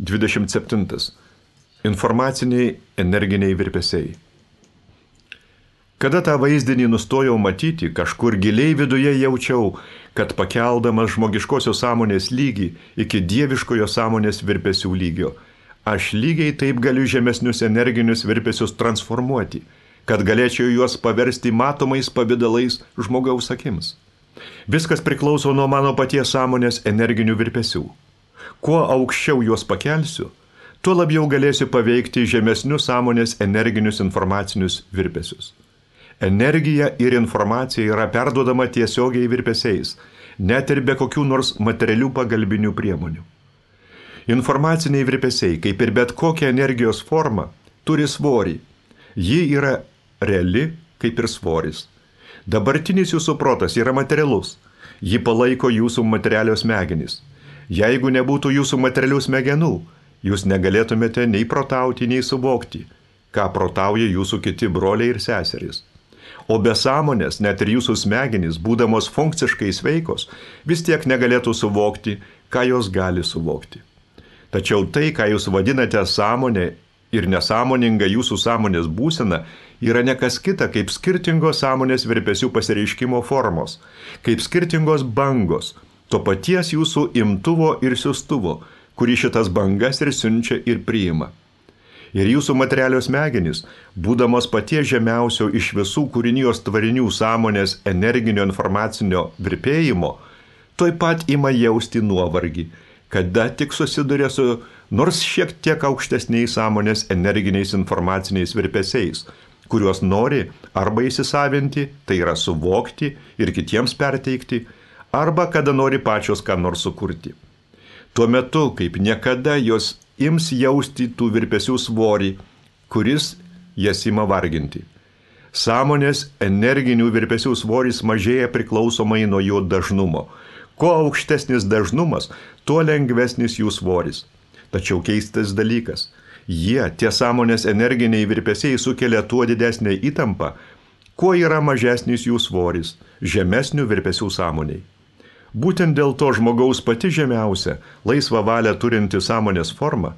27. Informaciniai energiniai virpesiai. Kada tą vaizdinį nustojau matyti, kažkur giliai viduje jaučiau, kad pakeldamas žmogiškosios sąmonės lygį iki dieviškojo sąmonės virpesių lygio, aš lygiai taip galiu žemesnius energinius virpesius transformuoti, kad galėčiau juos paversti matomais pavydalais žmogaus akims. Viskas priklauso nuo mano paties sąmonės energinių virpesių. Kuo aukščiau juos pakelsiu, tuo labiau galėsiu paveikti žemesnius sąmonės energinius informacinius virpesius. Energija ir informacija yra perduodama tiesiogiai virpesiais, net ir be kokių nors materialių pagalbinių priemonių. Informaciniai virpesiai, kaip ir bet kokia energijos forma, turi svorį. Ji yra reali, kaip ir svoris. Dabartinis jūsų protas yra materialus. Ji palaiko jūsų materialios smegenys. Jeigu nebūtų jūsų materialių smegenų, jūs negalėtumėte nei protauti, nei suvokti, ką protauja jūsų kiti broliai ir seserys. O be sąmonės, net ir jūsų smegenys, būdamos funkciškai sveikos, vis tiek negalėtų suvokti, ką jos gali suvokti. Tačiau tai, ką jūs vadinate sąmonė ir nesąmoninga jūsų sąmonės būsena, yra ne kas kita, kaip skirtingos sąmonės virpesių pasireiškimo formos, kaip skirtingos bangos, to paties jūsų imtuvo ir siųstuvo, kurį šitas bangas ir siunčia ir priima. Ir jūsų materialios smegenys, būdamos paties žemiausio iš visų kūrinijos tvarinių sąmonės energinio informacinio virpėjimo, tuoj pat ima jausti nuovargį, kada tik susiduria su nors šiek tiek aukštesniais sąmonės energiniais informaciniais virpesiais, kuriuos nori arba įsisavinti, tai yra suvokti ir kitiems perteikti, arba kada nori pačios ką nors sukurti. Tuo metu, kaip niekada, jos ims jausti tų virpesių svorį, kuris jas ima varginti. Sąmonės energinių virpesių svoris mažėja priklausomai nuo jo dažnumo. Kuo aukštesnis dažnumas, tuo lengvesnis jų svoris. Tačiau keistas dalykas. Tie sąmonės energiniai virpesiai sukelia tuo didesnę įtampą, kuo yra mažesnis jų svoris, žemesnių virpesių sąmoniai. Būtent dėl to žmogaus pati žemiausia, laisvą valią turinti sąmonės forma,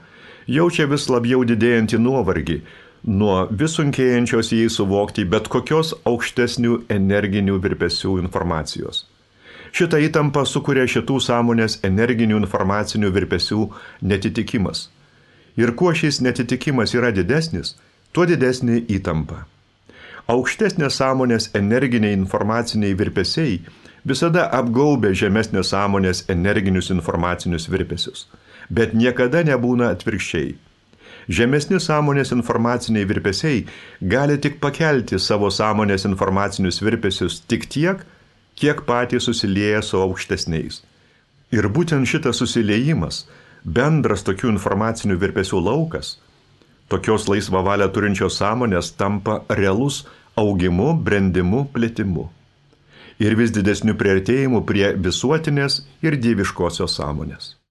jaučia vis labiau didėjantį nuovargį nuo vis sunkėjančios jai suvokti bet kokios aukštesnių energinių virpesių informacijos. Šitą įtampą sukuria šitų sąmonės energinių informacinių virpesių netitikimas. Ir kuo šis netitikimas yra didesnis, tuo didesnė įtampa. Aukštesnės sąmonės energiniai informaciniai virpesiai visada apgaubia žemesnės sąmonės energinius informacinius virpesius, bet niekada nebūna atvirkščiai. Žemesni sąmonės informaciniai virpesiai gali tik pakelti savo sąmonės informacinius virpesius tik tiek, kiek patys susilieja su aukštesniais. Ir būtent šitas susiliejimas, bendras tokių informacinių virpesių laukas, tokios laisvą valią turinčios sąmonės tampa realus augimu, brendimu, plėtimu. Ir vis didesnių priartėjimų prie visuotinės ir dieviškosios sąmonės.